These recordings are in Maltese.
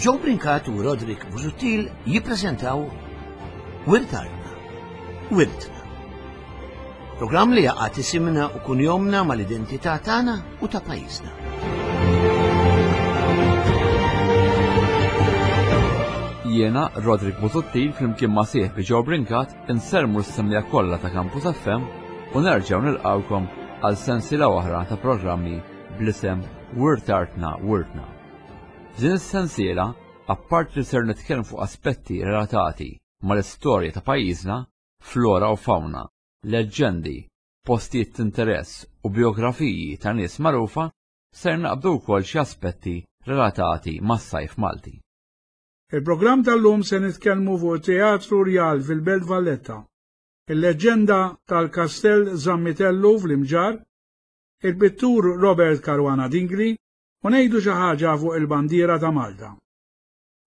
Joe Brincat u Roderick Busuttil jippreżentaw Wirt Artna, Wirtna. Programm li jaqgħad isimna u kunjomna mal-identità tagħna u ta' pajjiżna. Jiena Roderick Busuttil flimkien ma' sieħbi Joe Brincat insermu s-semja kollha ta' Campus FM u nerġgħu nilqgħukom għal sensiela oħra ta' programmi bl-isem Wirt Artna Wirtna. F'din is-sensiela, apparti li ser nitkellmu fuq aspetti relatati mal-istorja ta' pajjiżna, flora u fawna, leġġendi, postijiet t'interess u bijografiji ta' nies magħrufa, ser naqbdu wkoll xi aspetti relatati mas-sajf Malti. Il-programm tal-lum se nitkellmu fuq it-Teatru Rjal fil-Belt Valletta, il-leġġenda tal-Kastell Zammitellu fl-Imġarr, il-pittur Robert Caruana Dingli u ngħidu xi ħaġa fuq il-bandiera ta' Malta.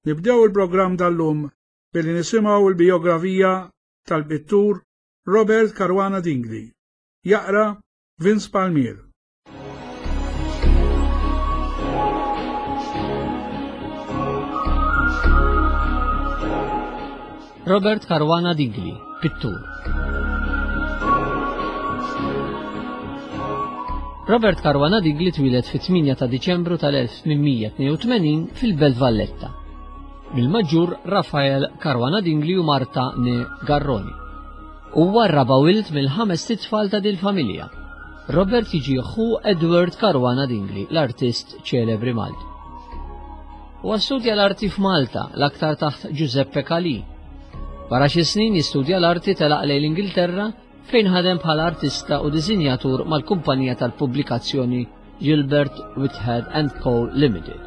Nibdew il-programm tal-lum billi nisimgħu l-bijografija tal-pittur Robert Caruana Dingli. Jaqra Vince Palmier. Robert Caruana Dingli, pittur. Robert Caruana Dingli twieled fit-8 ta' Diċembru tal-1882 fil-Belt Valletta. Mill-maġġur Rafael Caruana Dingli u Marta ne Garroni. Huwa r-raba' wild mill-ħamest itfal ta' dil-familja. Robert jiġi ħu Edward Caruana Dingli, l-artist ċelebri Malti. Huwa studja l-arti f'Malta, l-aktar taħt Giuseppe Calì. Wara xi snin jistudja l-arti telaq lejn l-Ingilterra fejn ħadem bħala artista u disinjatur mal-kumpanija tal-pubblikazzjoni Gilbert Whitehead and Co. Limited.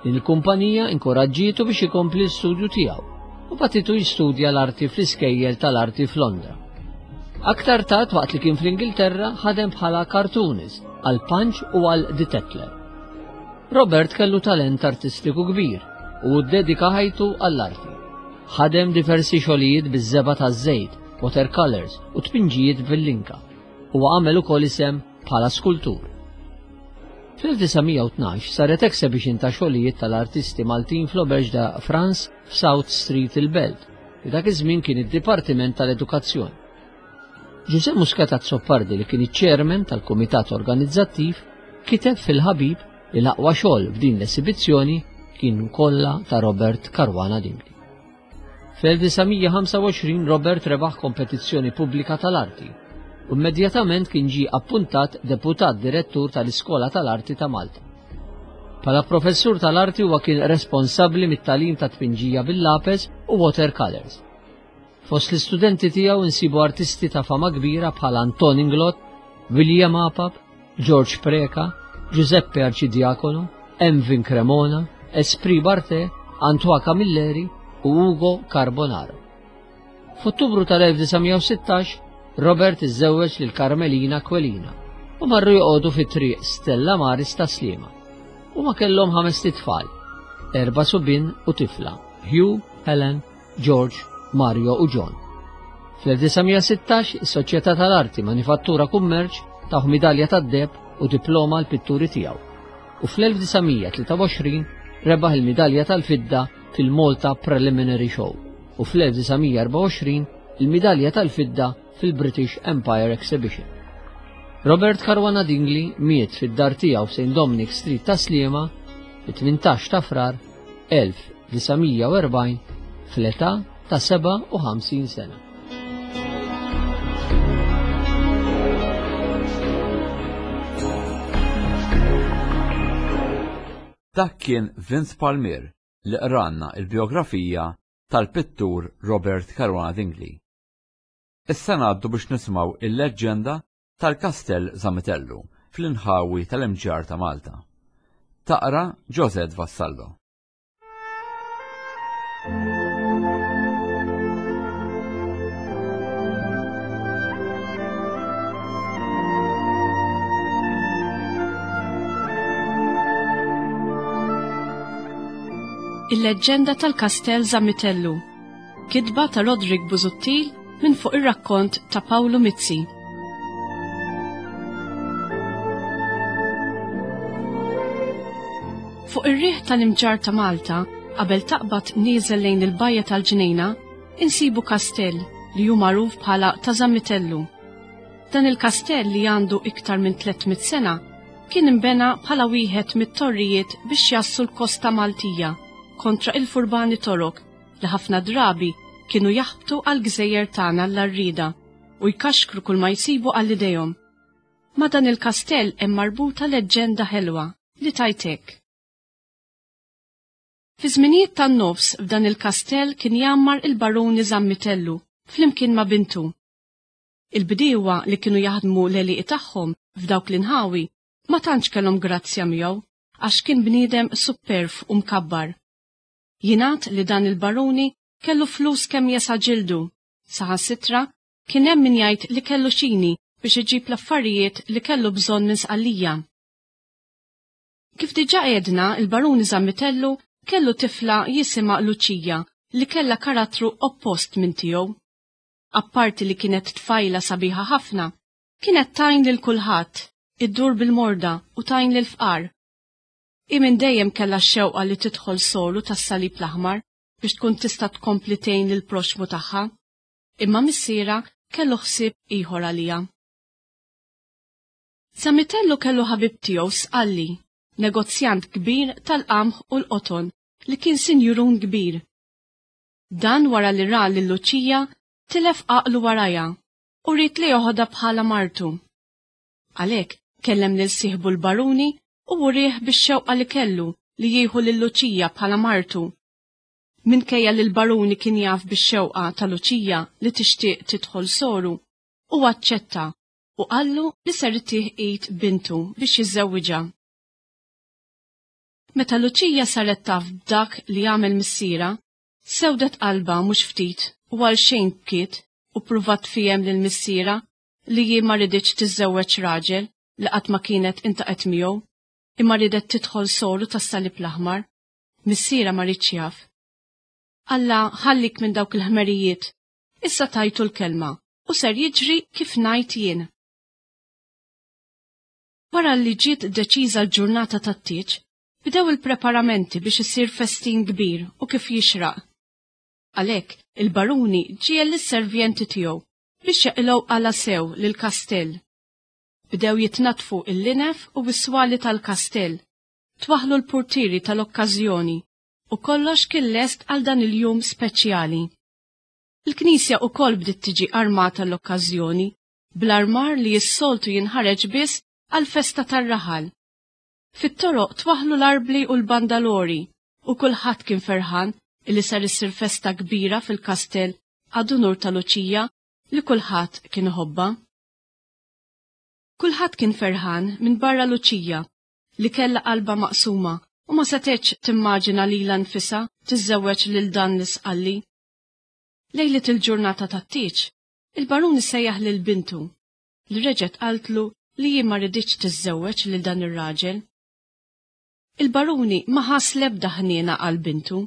Din il-kumpanija inkoraġġietu biex ikompli l-studju tiegħu u bagħtitu jistudja l-arti fl-iskejjel tal-arti f'Londra. Aktar tard waqt li kien fl-Ingilterra ħadem bħala cartoonist għal Punch u għal The Tatler. Robert kellu talent artistiku kbir u ddedika ħajtu għall-arti. Ħadem diversi xogħlijiet biż-żebgħa taż-żejt, watercolors u tpinġijiet bil-linka. Huwa għamel ukoll isem bħala skultur. Fl-1912 saret exhibition ta' xogħlijiet tal-artisti Maltin fl-Auberge de France f'South Street il-Belt, li dak iż-żmien kien id-Dipartiment tal-Edukazzjoni. Ġużè Muscat Azzopardi li kien iċ-chairman tal-kumitat organizzattiv kiteb fil-Ħabib li l-aqwa xogħol f'din l-esibizzjoni kien kollha ta' Robert Caruana Dingli. Fl-1925 Robert rebaħ kompetizzjoni pubblika tal-arti u immedjatament kien ġie appuntat deputat direttur tal-Iskola tal-Arti ta' Malta. Bħala professur tal-arti huwa kien responsabbli mit-tagħlim ta' tpinġija bil-lapes u watercolors. Fost l-istudenti tiegħu nsibu artisti ta' fama kbira bħal Anton Inglott, William Apap, George Preca, Giuseppe Arcidiacono, Emvin Cremona, Esprit Barthe, Antoine Camilleri u Ugo Carbonaro. F'Ottubru tal-1916, Robert iżżewweġ lil Carmelina Quelina u marru joqogħdu fi triq Stella Maris ta' Sliema. Huma kellhom ħamest itfal, erba' subien u tifla, Hugh, Helen, George, Mario u John. Fl-1916 is-Soċjetà tal-Arti Manifattura Kummerċ tawh midalja tad-deheb u diploma għall-pitturi tiegħu u fl-1923 rebaħ il-midalja tal-fidda fil-Malta Preliminary Show u fl-1924 il-midalja tal-fidda fil-British Empire Exhibition. Robert Caruana Dingli miet fid-dar tiegħu f'St Dominic Street ta' Sliema fit-18 ta' Frar 1940 fl-età ta' 57 sena. Dak kien Vince Palmier li qralna l-bijografija tal-pittur Robert Caruana Dingli. Issa ngħaddu biex nisimgħu il-leġġenda tal-Kastell Zamitellu fl-inħawi tal-Imġarr ta' Malta. Taqra Josette Vassallo. Il-leġġenda tal-Kastell Zamitellu. Kitba ta' Roderick Busuttil minn fuq ir-rakkont ta' Pawlu Mizzi. Fuq ir-riħ tal-Imġarr ta' Malta, qabel taqbad nieżel lejn il-bajja tal-Ġnejna, insibu kastell li hu magħruf bħala ta' Zammitellu. Dan il-kastell li għandu iktar minn 300 sena kien inbena bħala wieħed mit-torrijiet biex jassu l-kosta Maltija kontra il-furbani Torok li ħafna drabi kienu jaħbtu għall-gżejjer tagħna l-għarrieda u jkaxkru kull ma jsibu għal idejhom. Ma' dan il-kastell hemm marbuta leġġenda ħelwa li tgħid hekk. Fi żminijiet tan-nofs f'dan il-kastell kien jgħammar il-Baruni Zammitellu flimkien ma' bintu. Il-bdiewa li kienu jaħdmu l-għelieqi tagħhom f'dawk l-inħawi ma tantx kellhom grazzja miegħu għax kien bniedem supperv u mkabbar. Jingħad li dan il-baruni kellu flus kemm jesa' ġildu, saħansitra kien hemm min jgħid li kellu xini biex iġib l-affarijiet li kellu bżonn minn Sqallija. Kif diġà għedna, il-Baruni Zammitellu kellu tifla jisimha Luċija li kellha karattru oppost minn tiegħu. Apparti li kienet tfajla sabiħa ħafna, kienet tgħin lil kulħadd, iddur bil-morda u tgħin lill-fqar. Hi minn dejjem kellha x-xewqa li tidħol soru tas-Salib l-Aħmar biex tkun tista' tkompli tgħin lill-proxxmu tagħha. Imma missierha kellu ħsieb ieħor għaliha. Zamitellu kellu ħabib tiegħu Sqalli, negozjant kbir tal-qamħ u l-qoton li kien sinjurun kbir. Dan wara li ra lil Luċija tilef għaqlu warajha u ried li joħodha bħala martu. Għalhekk kellem lil sieħbu l-baruni u wrieh bix-xewqa li kellu li jieħu lil Luċija bħala martu. Minkejja li l-baruni kien jaf bix-xewqa ta' Luċija li tixtieq tidħol soru, hu aċċetta u qallu li ser itih id bintu biex jiżżewwiġha. Meta Luċija saret taf b'dak li għamel missierha, sewdet qalbha mhux ftit u għalxejn bkiet u ppruvat tfiehem lil missierha li hi ma riditx tiżżewweġ raġel li qatt ma kienet intaqgħet miegħu, imma riedet tidħol soru tas-Salib l-Aħmar. Missierha ma riedx jaf. Alla ħallik minn dawk il-ħmerijiet. Issa tajtu l-kelma u ser jiġri kif ngħid jien. Wara li ġiet deċiża l-ġurnata tat-tieġ, bdew il-preparamenti biex isir festin kbir u kif jixraq. Għalhekk, il-baruni ġiegħel lis-servjenti tiegħu biex jaqilgħu qala sew lill-kastell. Bdew jitnaddfu l-linef u s-swali tal-kastell, twaħħlu l-purtieri tal-okkażjoni u kollox kien lest għal dan il-jum speċjali. Il-knisja ukoll bdiet tiġi armata l-okkażjoni bl-armar li s-soltu jinħareġ biss għall-festa tar-raħal. Fit-toroq twaħħlu l-arbli u l-bandalori u kulħadd kien ferħan illi ser issir festa kbira fil-kastell ad unur ta' Luċija li kulħadd kien iħobbha. Kulħadd kien ferħan minbarra Luċija li kellha qalbha maqsuma u ma setgħetx timmaġina lilha nfisha tiżżewweġ lil dan l-Isqalli. Lejliet il-ġurnata tat-tieġ, il-barun isejjaħ lil bintu, li reġgħet qaltlu li hi ma riditx tiżżewweġ lil dan ir-raġel. Il-baruni ma ħass l-ebda ħniena għal bintu,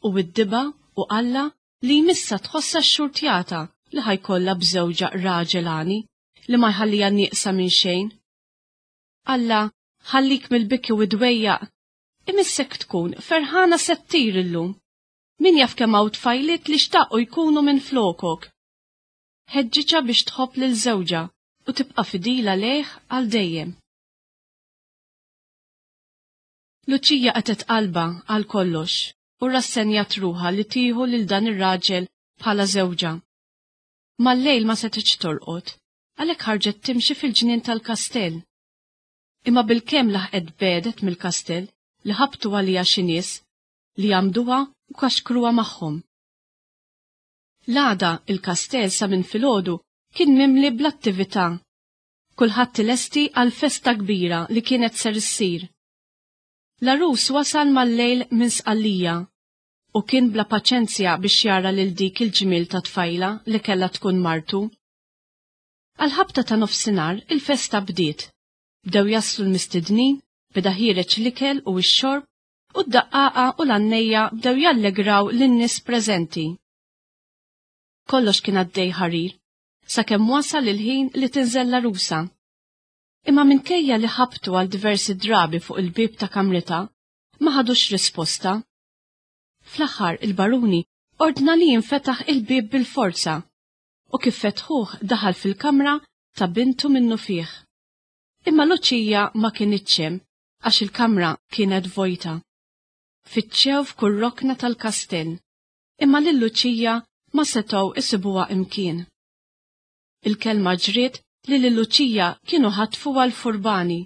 u widdibha u qallha li jmissha tħossha xxurtjata li ħa jkollha b'żewġha raġel għani li ma jħalliha nieqsa minn xejn. Alla ħallik mill-biki u d-dwejjaq, imissek tkun ferħana se ttir illum. Min jaf kemm hawn tfajliet li xtaqu jkunu minn flokok. Ħeġġiġha biex tħobb lil żewġha u tibqa' fidila lejh għal dejjem. Luċija qatgħet qalbha għal kollox u rrassenjat ruħha li tieħu lil dan ir-raġel bħala żewġha. Mal-lejl ma setgħetx torqod, għalhekk ħarġet timxi fil-ġnien tal-kastell. Imma bilkemm laħqet tbegħdet mill-kastell li ħabtu għaliha xi nies li għammduha u kaxkruha magħhom. L-għada il-kastell sa minn filgħodu kien mimli bl-attività. Kulħadd ilesti għall-festa kbira li kienet ser issir. L-għarus wasal mal-lejl minn Sqallija u kien bla paċenzja biex jara lil dik il-ġmiel ta' tfajla li kellha tkun martu. Għall-ħabta ta' nofsinhar il-festa bdiet. Bdew jaslu l-mistednin, beda ħiereġ l-ikel u x-xorb u d-daqqaqa u l-għannejja bdew jallegraw lin-nies preżenti. Kollox kien għaddej ħarir, sakemm wasal il-ħin li tinżel l-għarusa. Imma minkejja li ħabtu għal diversi drabi fuq il-bieb ta' kamritha, ma ħadux risposta. Fl-aħħar il-baruni ordna li jinfetaħ il-bieb bil-forza u kif fetħuh daħal fil-kamra ta' bintu minnufih. Imma Luċija ma kinitx hemm għax il-kamra kienet vojta. Fittxew f'kull rokna tal-kastell, imma lil Luċija ma setgħu isibuha imkien. Il-kelma ġriet li lil Luċija kienu ħatfuha l-furbani.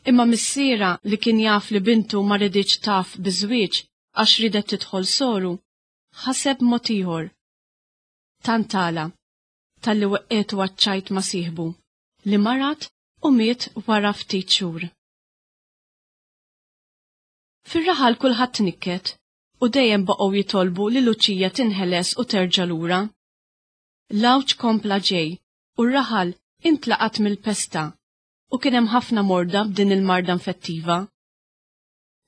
Imma missierha li kien jaf li bintu ma riditx taf biż-żwieġ għax riedet tidħol soru, ħaseb mod ieħor. Tant għala, talli weqqgħetu għaċ-ċajt ma' sieħbu, li marad u miet wara ftit xhur. Fir-raħal kulħadd tnikket u dejjem baqgħu jitolbu li Luċija tinħeles u terġa' lura. L-għawġ kompla ġej u r-raħal intlaqat mill-pesta u kien hemm ħafna morda b'din il-marda infettiva.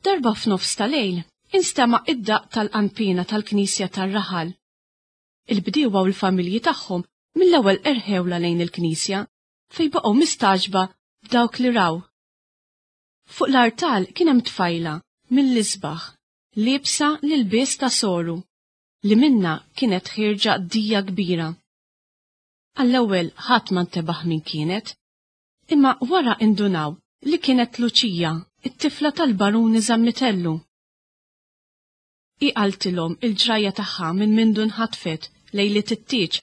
Darba f'nofs ta' lejl instema' id-daqq tal-qanpiena tal-knisja tar-raħal. Il-bdiewa u l-familji tagħhom mill-ewwel erħewlha lejn il-knisja fejn baqgħu mistagħġba b'dawk li raw. Fuq l-artal kien hemm tfajla mill-isbaħ liebsa l-ilbies ta' soru li minnha kienet ħierġa dija kbira. Għall-ewwel ħadd ma ntebaħ min kienet, imma wara indunaw li kienet Luċija, it-tifla tal-Baruni Zammitellu. Hi qaltilhom il-ġrajja tagħha minn mindu nħatfet lejliet it-tieġ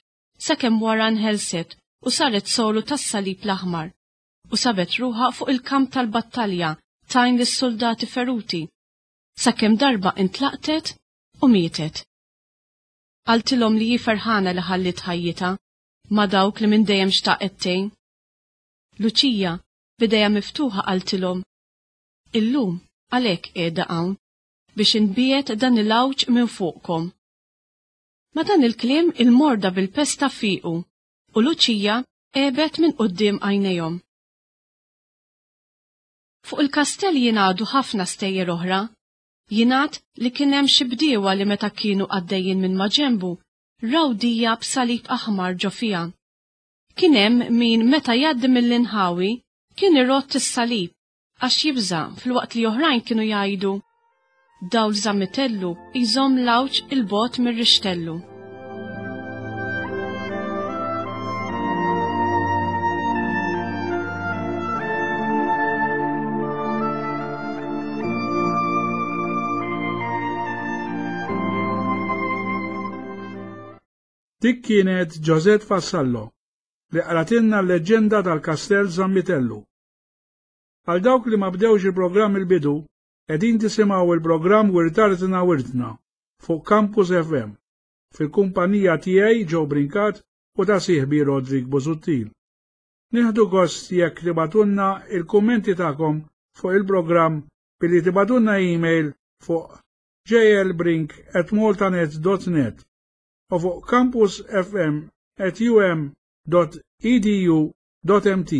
sakemm wara nħelset u saret soru tas-Salib l-Aħmar u sabet ruħha fuq il-kamp tal-battalja tgħin lis-suldati feruti sakemm darba intlaqtet u mietet. Qaltilhom li hi ferħana li ħalliet ħajjitha ma' dawk li minn dejjem xtaqet tgħin. Luċija, b'idejha miftuħa qaltilhom, Illum għalhekk qiegħda hawn, biex inbiegħed dan il-għawġ minn fuqkom. Ma' dan il-kliem il-morda bil-pesta fiequ u Luċija għebet minn quddiem għajnejhom. Fuq il-kastell jingħadu ħafna stejjer oħra Jingħad li kien hemm xi bdiewa li meta kienu għaddejjin minn maġenbu raw dija b'salib aħmar ġo fiha. Kien hemm min meta jgħaddi mill-inħawi kien irott is-salib għax jibża' filwaqt li oħrajn kienu jgħidu, Dawl Żammitellu jżomm l-għawġ 'il bogħod mir-rixtellu. Dik kienet Josette Vassallo li qratilna l-leġġenda tal-Kastell Zammitellu. Għal dawk li ma bdewx il-programm il-bidu, qegħdin tisimgħu il-programm Wirtartna Wirtna fuq Campus FM fil-kumpanija tiegħi Joe Brincat u ta' sieħbi Roderick Busuttil. Nieħdu gost jekk tibagħtulna il-kummenti tagħkom fuq il-programm billi tibagħtulna email fuq jlbrink@maltanet.net u fuq campusfm@um.edu.mt.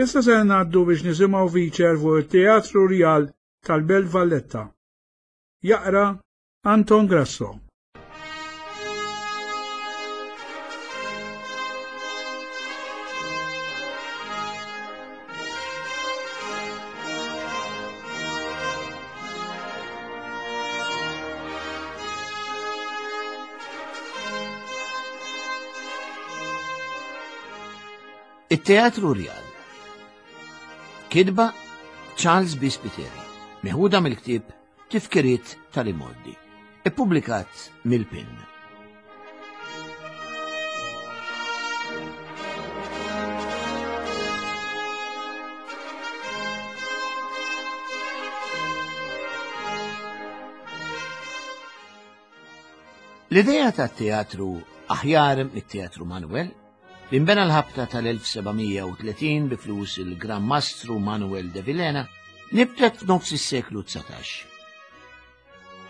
Issa se ngħaddu biex nisimgħu feature fuq it-Teatru Rjal tal-Belt Valletta. Jaqra Anton Grasso. It-Teatru Rjal. Kidba Charles B. Spiteri, meħuda mill-ktieb Tifkiriet tal-Imgħoddi, ippubblikat mill-PIN. L-idea ta' teatru aħjar mit-Teatru Manuel li nbena l-ħabta tal-1730 bi flus il-Gran Mastru Manuel de Vilhena nibtet f'nofs is-seklu 19.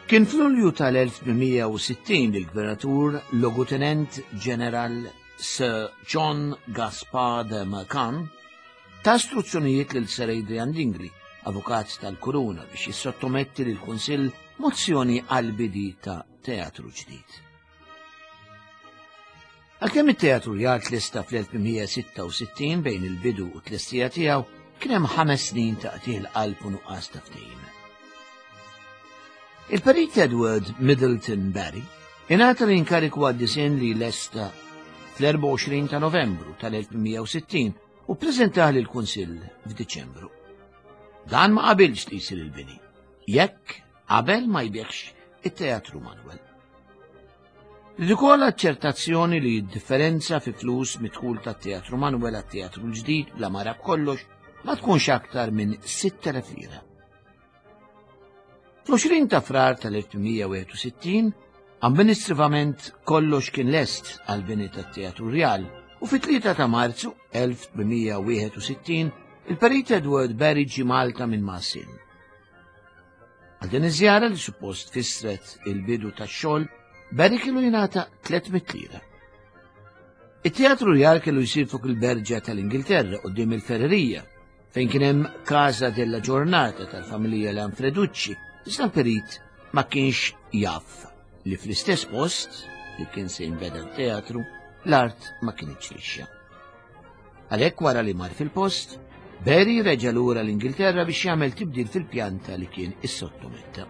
Kien f'Lulju tal-1860 li l-Gvernatur Logutenent Ġeneral Sir John Gaspard de Mercan ta istruzzjonijiet lil Sir Adrian Dingli, avukat tal-Kuruna, biex jissottometti lill-Kunsill mozzjoni għall-bidi ta' teatru ġdid. Għalkemm it-teatru Rjal tlesta fl-1866 bejn il-bidu u t-tlestija tiegħu kien hemm ħames snin ta' qtigħ il-qalb u nuqqas ta' ftehim. Il-Perit Edward Middleton Barry ingħata l-inkariku għad-disinn li lesta fl-24 ta' Novembru tal-1860 u ppreżentah lill-Kunsill f'Diċembru. Dan ma qabilx li jsir il-bini, jekk qabel ma jbieħx it-Teatru Manuel. Li ukoll aċċertazzjoni li d-differenza fi flus midħul tat-Teatru Manuel għat-Teatru l-ġdid bla mara b'kollox ma tkunx aktar minn 6,000 lira. Fl-20 ta' Frar tal-1861, amministrivament kollox kien lest għall-bini tat-Teatru Rjal u fit-3 ta' Marzu 1861 il-Perit Edward Barry ġie Malta minn Massin. Għal din iż-żjara li suppost fissret il-bidu tax-xogħol, Barry kellu jingħata 300 lira. It-Teatru Rjal kellu jsir fuq il-Berġa tal-Ingilterra quddiem il-Ferrerija fejn kien hemm Casa della Giornata tal-familja Lanfreducci, iżda l-perit ma kienx jaf li fl-istess post li kien se jinbeda t-teatru, l-art ma kinitx lixxa. Għalhekk wara li mar fil-post, Barry reġa' lura l-Ingilterra biex jagħmel tibdil fil-pjanta li kien issottometta.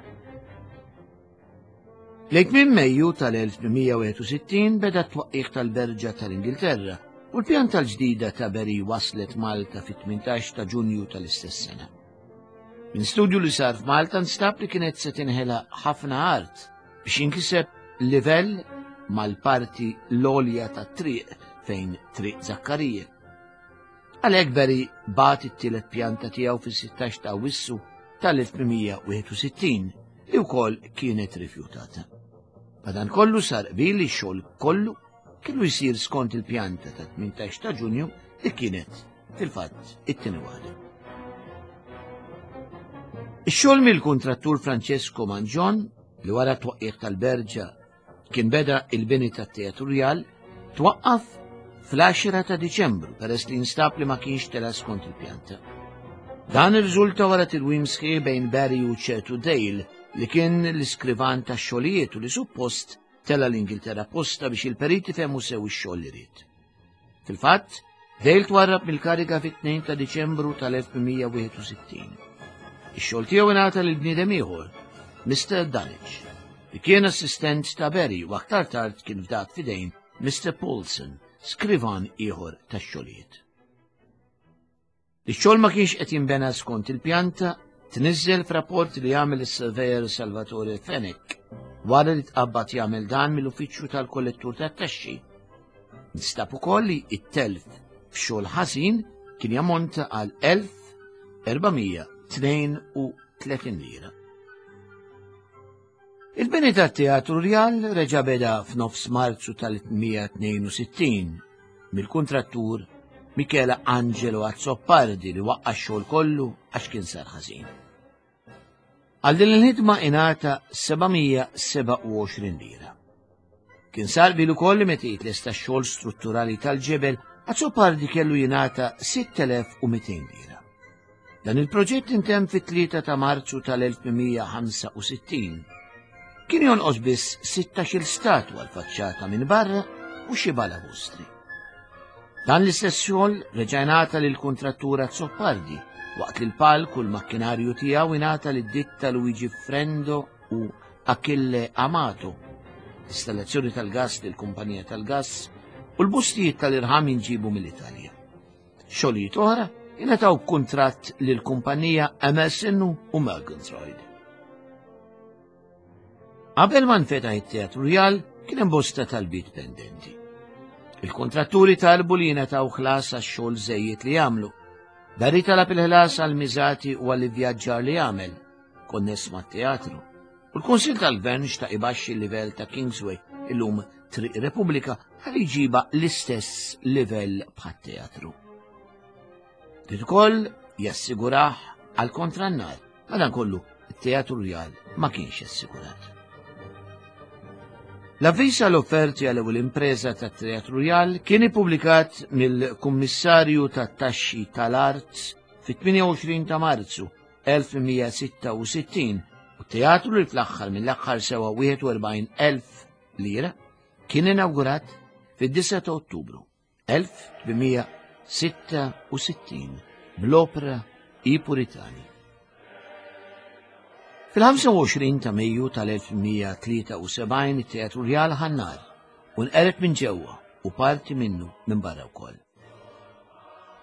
Lejn tmiem Mejju tal-1861 beda t-twaqqigħ tal-Berġa tal-Ingilterra u l-pjanta l-ġdida ta' Berry waslet Malta fit-18 ta' Ġunju tal-istess sena. Minn studju li sar f'Malta nstab li kienet se tinħela ħafna art biex jinkiseb livell mal-parti l-għolja tat-triq fejn Triq Zakkarija. Għalhekk Berry bagħat it-tielet pjanta tiegħu fis-16 ta' Awwissu tal-1861 li wkoll kienet rifjutata. Madankollu sar qbil li x-xogħol kollu kellu jsir skont il-pjanta ta' 18 ta' Ġunju li kienet fil-fatt it-tieni waħda. Ix-xogħol mill-kuntrattur Francesco Mangion li wara t-twaqqigħ tal-Berġa Kien beda il-bini tat-Teatru Rjal twaqqaf fl-10 ta' Diċembru peress li instab li ma kienx tela skont il-pjanta. Dan irriżulta wara tilwim sħiħ bejn Barry u ċertu Dale li kien l-iskrivan tax-xogħlijiet u li suppost tela l-Ingilterra posta biex il-periti fehmu sew ix-xogħol li ried. Fil-fatt, Dale twarrab mill-kariga fit-2 ta' Diċembru tal-1861. Ix-xogħol tiegħu ingħata lil bniedem ieħor, Mr. Dunwich, li kien assistent ta' Barry u aktar tard kien fdat f'idejn Mr. Paulson, skrivan ieħor tax-xogħlijiet. Li x-xogħol ma kienx qed jinbena skont il-pjanta tniżżel f'rapport li għamel is-surveyor Salvatore Fenech wara li tqabbad jagħmel dan mill-uffiċċju tal-kollettur tat-taxxi. Nstab ukoll li t-telf f'xogħol ħażin kien jammonta għal 1432 lira. Il-bini tat-Teatru Rjal reġa' beda f'nofs Marzu tal-862 mill-kuntrattur Michele Angelo Azzopardi li waqqa' x-xogħol kollu għax kien sar ħażin. Għal din il-ħidma ingħata 727 lira. Kien sar bil ukoll li meta jitlesta x-xogħol strutturali tal-ġebel, Azzopardi kellu jingħata 6200 lira. Dan il-proġett intemm fit-3 ta' Marzu tal-1865. Kien jonqos biss 16-il statwa l-faċċata minn barra u xi balabustri. Dan l-istess xogħol reġa' ingħata lil kuntrattur Azzopardi waqt li l-palk u l-makkinarju tiegħu ingħata lid-ditta Luigi Frendo u Achille Amato. Installazzjoni tal-gass lill-kumpanija tal-gass u l-bustijiet tal-irħam jinġibu mill-Italja. Xogħlijiet oħra ingħataw b'kuntratt lill-kumpanija Emerson u Murgatroyd. Qabel ma nfetaħ it-Teatru Rjal kien hemm bosta talbiet pendenti. Il-kontratturi talbu li jingħataw ħlas għax-xogħol żejjed li jagħmlu. Barry talab il-ħlas għal miżati u għall ivvjaġġar li għamel, konness mat-teatru. U l-Kunsill tal-Gvern xtaq ibaxxi l-livell ta' Kingsway illum Triq Repubblika ħalli jġiba l-istess livell bħat-teatru. Trid ukoll jassigurah għal kontra n-nar, madankollu it-Teatru Rjal ma kienx assigurat. L-avviż għal offerti għal ewwel impreża tat-Teatru Rjal kien ippubblikat mill-Kummissarju tat-Taxxi tal-Art fit-28 ta' Marzu 1866 u t-teatru li fl-aħħar mill-aħħar sewa 41,000 lira kien inawgurat fid-9 ta' Ottubru 1866 bl-opra I Puritani. Fil-25 ta' Mejju tal-1873 it-Teatru Rjal ħa n-nar u nqered minn ġewwa u parti minnu minn barra wkoll.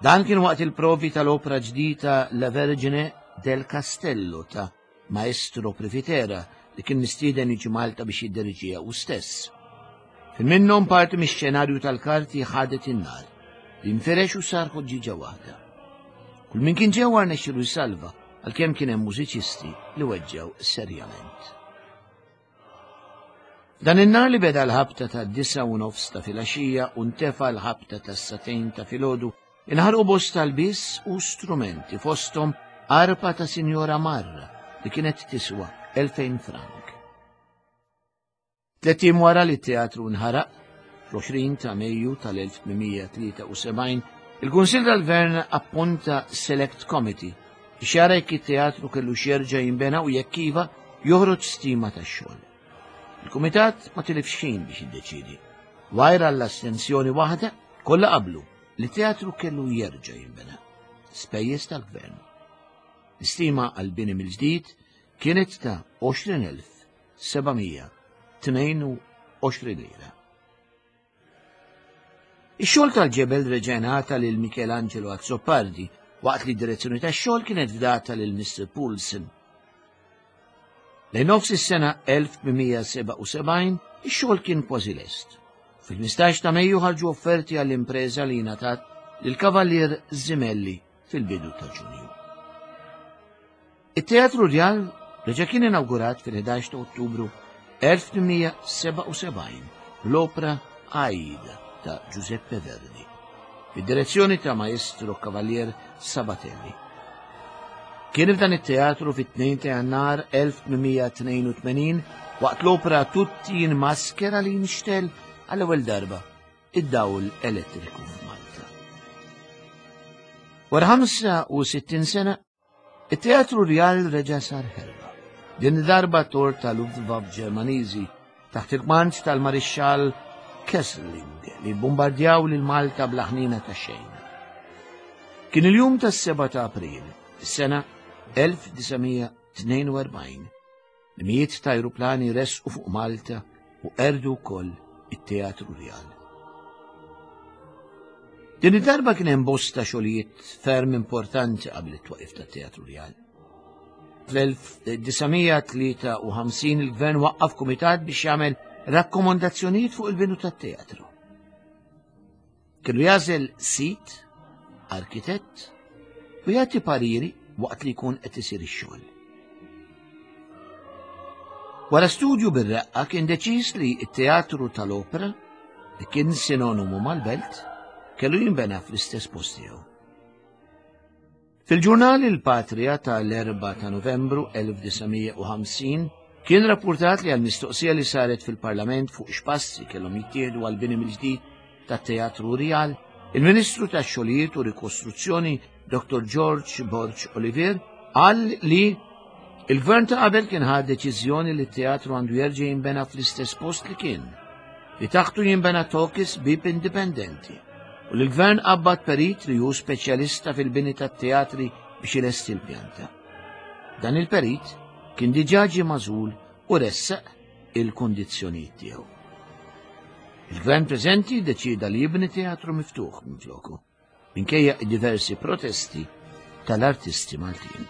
Dan kien waqt il-provi tal-opra ġdida La Vergine del Castello ta' Maestro Privitera li kien mistieden jiġi Malta biex jidderiġiha hu stess. Fil minnhom parti mix-xenarju tal-karti ħadet in-nar, li nferex u sar ħoġġiġa waħda. Kull min kien ġewwa rnexxielu jsalva għalkemm kien hemm mużiċisti li weġġgħu serjament. Dan in-nar li beda l-ħabta ta' disa u nofs ta' filgħaxija u ntefa l-ħabta ta' satejn ta' filgħodu inħarqu bosta lbies u strumenti fosthom arpa ta' Sinjora Marra li kienet tiswa 2000 frank. Tlett ijiem wara li t-teatru nħaraq, fl-20 ta' Mejju tal-1873, il-Kunsill tal-Gvern appunta Select Committee biex jara jekk it-teatru kellu x'jerġa' jinbena u jekk iva, joħroġ stima tax-xogħol. Il-Kumitat ma tilifx ħin biex jiddeċiedi. Wajra l-astensjoni waħda, kollha qablu li teatru kellu jerġa' jinbena. Spejjeż tal-Gvern. L-istima għall-bini mill-ġdid kienet ta' 20,000 722 lira. Ix-xogħol tal-ġebel reġa' ngħata lil Michelangelo Azzopardi waqt li d-direzzjoni tax-xogħol kienet fdata lil Mr. Poulsen. Lejn nofs is-sena 1877 ix-xogħol kien kważi lest. Fil-15 ta' Mejju ħarġu offerti għall-impreża li ngħatat lill-Kavallier Zimelli fil-bidu ta' Ġunju. It-Teatru Rjal reġa' kien inawgurat fil-11 ta' Ottubru 1877 bl-opra Aida ta' Giuseppe Verdi, bid-direzzjoni ta' Maestro Cavalier Sabatelli. Kien f'dan it-teatru fit-2 ta' Jannar 1882 waqt l-opra Tutti in maschera li nixtel għall-ewwel darba id-dawl elettriku f'Malta. Wara 65 sena It-Teatru Rjal reġa' sar ħerba. Din id-darba tor ta' Luftwaffe Ġermaniżi taħt il-kmand tal-Marixxall Kesselring li bombardjaw lil Malta bla ħniena ta' xejn. Kien il-jum tas-7 ta' April, is-sena 1942, li mijiet ta' ajruplani resqu fuq Malta u qerdu wkoll it-Teatru Rjal. Din id-darba kien hemm bosta xogħlijiet ferm importanti qabel it-twaqif tat-Teatru Rjal. Fl-1953 il-Gvern waqqaf kumitat biex jagħmel rakkomandazzjonijiet fuq il-binu tat-teatru. Kellu jagħżel sit, arkitett u jagħti pariri waqt li jkun qed isir ix-xogħol. Wara studju bir-reqqa kien deċiż li t-teatru tal-opera, li kien sinonimu mal-belt, kellu jinbena fl-istess post tiegħu. Fil-ġurnal Il-Patria tal-4 ta' Novembru 1950 kien rappurtat li għal mistoqsija li saret fil-Parlament fuq x'passi kellhom jittieħdu għal bini mill-ġdid tat-Teatru Rjal, il-Ministru tax-Xogħlijiet u Rikostruzzjoni Dr. George Borg Olivier qal li il-gvern ta' qabel kien ħa deċiżjoni li t-teatru għandu jerġa' jinbena fl-istess post li kien, li taħtu jinbena tokis bib indipendenti. U li l-gvern qabbad perit li hu speċjalista fil-bini tat-teatri biex ilesti l-pjanta. Dan il-perit kien diġà ġie magħżul u ressaq il-kundizzjonijiet tiegħu. Il-gvern preżenti deċieda li jibni teatru miftuħ minfloku. minkejja diversi protesti tal-artisti Maltin.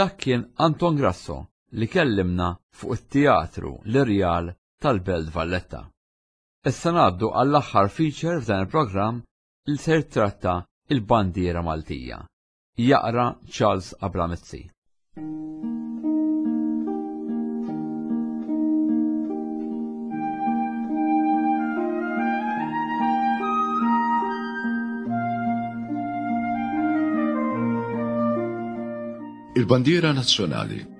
Dak kien Anton Grasso li kellimna fuq it-Teatru l-Irjal tal-Belt Valletta. Issa ngħaddu għall-aħħar feature f'dan il-programm li se jittratta il-bandiera Maltija. Jaqra Charles Abramizzi. Il-bandiera nazzjonali.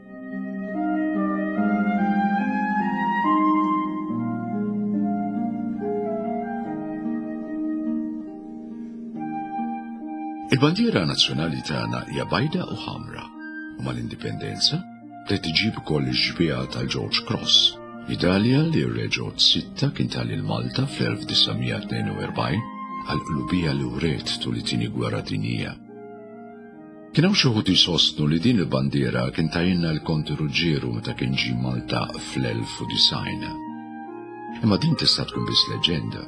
Il-bandiera nazzjonali tagħna hija bajda u ħamra u mal-indipendenza bdiet iġib ukoll ix-xbieha tal-George Cross, midalja li r-Re George Sitta kien ta lil Malta fl-1942 għall-qlubija li wriet tul it-Tieni Gwerra Dinjija. Kien hawn xi wħud jsostnu li din il-bandiera kien tajinna l-Konti Ruġġieru meta kien ġie Malta fl-1090. Imma din tista' tkun biss leġġenda.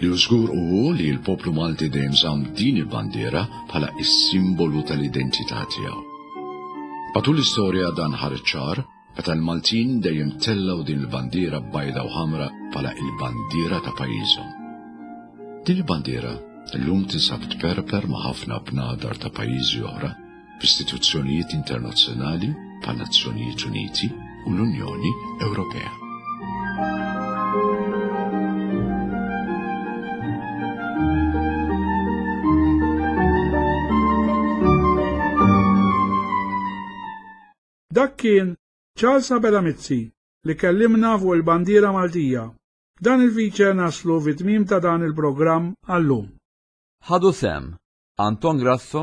Li hu żgur hu li l-poplu Malti dejjem żamm din il-bandiera bħala s-simbolu tal-identità tiegħu. Matul l-istorja dan ħareġ ċar meta l-Maltin dejjem tellgħu din il-bandiera bajda u ħamra bħala il-bandiera ta' pajjiżhom. Din il-bandiera llum tinsab tperper ma' ħafna bnadar ta' pajjiżi oħra f'istituzzjonijiet internazzjonali bħan-Nazzjonijiet Uniti u l-Unjoni Ewropea. Dak kien Charles Abela Mizzi li kellimna fuq il-bandiera Maltija. B'dan il-feature naslu fit-tmiem ta' dan il-programm għal-lum. Ħadu sehem Anton Grasso,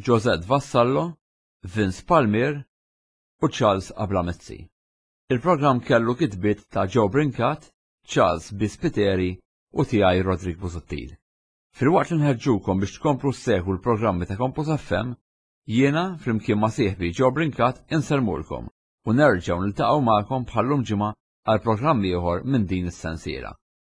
Josette Vassallo, Vince Palmier u Charles Abela Mizzi. Il-programm kellu kitbiet ta' Joe Brincat, Charles B. Spiteri u tiegħi Roderick Busuttil. Filwaqt li nħeġġukom biex tkomplu ssegwu l-programmi ta' Campus FM, jiena flimkien ma' sieħbi Joe Brincat insellmulkom u nerġgħu niltaqgħu magħkom bħal-lum ġimgħa għal programm ieħor minn din is-sensiela.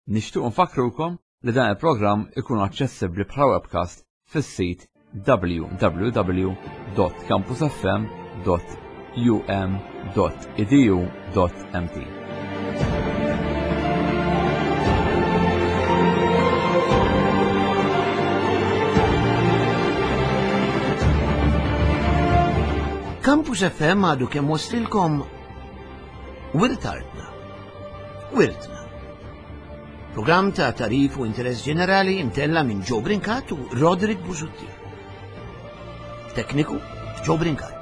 Nixtiequ nfakkrukom li dan il-programm ikun aċċessibbli bħala webcast fis-sit www.campusfm.um.edu.mt. Campus FM għadu kemm waslilkom Wirt Artna. Wirtna. Programm ta' tarif u interess ġenerali imtella minn Joe Brincat u Roderick Busuttil. Tekniku Joe Brincat.